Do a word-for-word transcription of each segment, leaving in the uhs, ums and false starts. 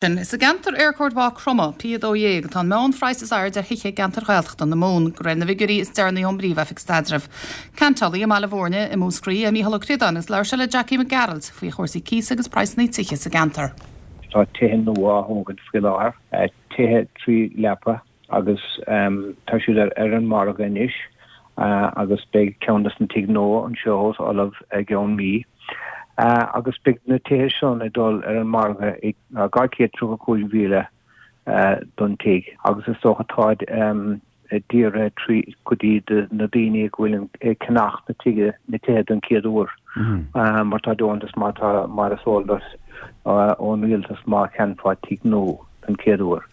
Is i gceantar Éirchóid Mhaigh Chromtha P a dó dhéag atá an meánphraghas is airde ar thithe i gceantar Ghaeltachta na Mumhan, de réir na bhfigiúirí is deireanaí ón bPríomh-Oifig Staidrimh. Ceantálaí i mBaile Bhúirne i Múscraí é Mícheál Ó Críodáin agus labhair sé le Jackie Mac Gearailt faoi chúrsaí cíosa agus praghsanna tithe sa gceantar. Tá tithe nua á thógaint faoi láthair, tithe trí leapa agus tá siad ar ar an margadh anois agus beidh ceann des na tithe nua anseo os ullamh i gceann mí. Agus beidh na tithe sin ag dul ar an margadh ag dhá chéad tríocha cúig mhíle don tigh agus is dócha táid dírithe trí go dtí na daoine go bhfuil ag ceannach na tighe na tithe don chéad uair mar tá deontas mar tá mar is eol duit ón rialtas má cheannfá tigh nua don chéad uair.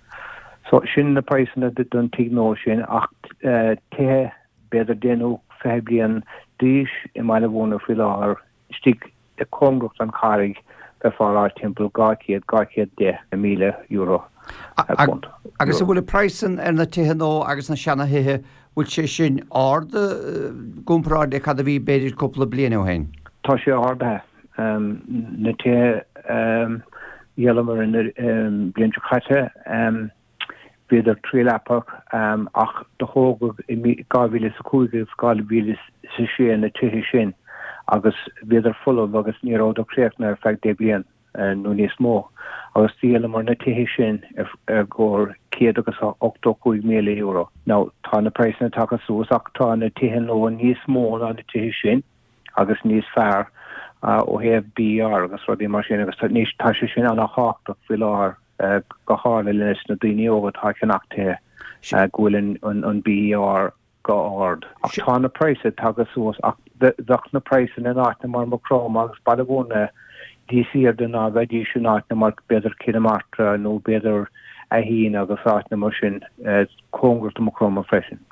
So sin na praghsanna don tigh nua sin ach tithe b'fhéidir deich nó fiche bliain d'aois i mBaile Bhúirne faoi láthair istigh i cóngarach don Charraig bheifeá ag rá timpeall dhá chéad, dhá chéad deich míle euro punt. Agus an bhfuil an praghas ar na tithe nua agus na seana-thithe, bhfuil sé sin ard i gcomparáid le cad a bhí b'fhéidir cúpla bliain ó shin? Tá sé ardaithe. Na tithe a dhíolamar an bhliain seo caite, Bhíodar trí-leapach ach do thógadh i dhá mhíle is a cúig agus dhá mhíle is a sé na tithe sin agus bhíodar folamh agus ní rabhadar críochnaithe ar feadh deich bliain nó níos mó agus dhíolamar na tithe sin ar gcomhair céad agus ochtó cúig míle euro. Now tá na praghsanna tagtha suas ach tá na tithe nua níos mó ná na tithe sin agus níos fearr ó thaobh BER agus rudaí mar sin agus tá sé sin ana-thábhachtach faoi láthair. go háirithe leis na daoine óga atá ag ceannach tithe, go bhfuil an BER go ard. Ach tá na praghsanna tagtha suas ach bheadh na praghsanna in áiteanna mar Maigh Chromtha agus Baile Bhúirne níos airde ná bheidís in áiteanna mar b'fhéidir Cill na Martra nó b'fhéidir Aithín agus áiteanna mar sin cóngarach do Maigh Chromtha freisin.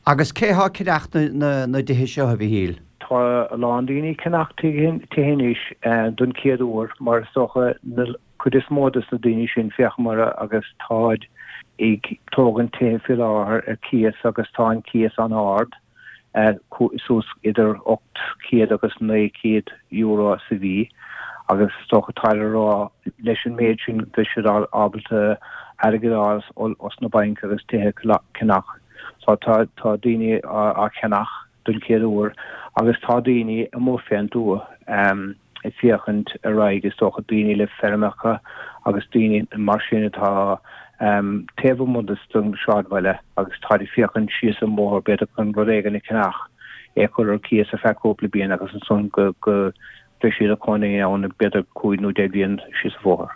Agus cé thá ag ceannach na dtithe seo, a Mhichíl? Tá a lán daoine ag ceannach tithe anois don chéad uair mar is dócha na cuid is mó des na daoine sin féachamar agus táid ag tógaint tithe faoi láthair ar cíos agus tá an cíos an-ard, suas idir ocht chéad agus naoi chéad euro sa mhí agus is dócha táid ag rá leis an méid sin beidh siad ábalta airgead a fháil os na bainc agus tithe a cheannach. So tá daoine á cheannach don chéad uair agus tá daoine amuigh fén dtuath ag féachaint ar aghaidh, is dócha, daoine le feirmeacha agus daoine mar sin atá taobh amuigh den sráidbhaile agus táid ag féachaint síos an bóthar b'fhéidir chun rud éigin a cheannach, é a chur ar cíos ar feadh cúpla bliain agus ansan go go mbeidh siad ina gcónaí ann b'fhéidir cúig nó deich bliain síos an bhóthar.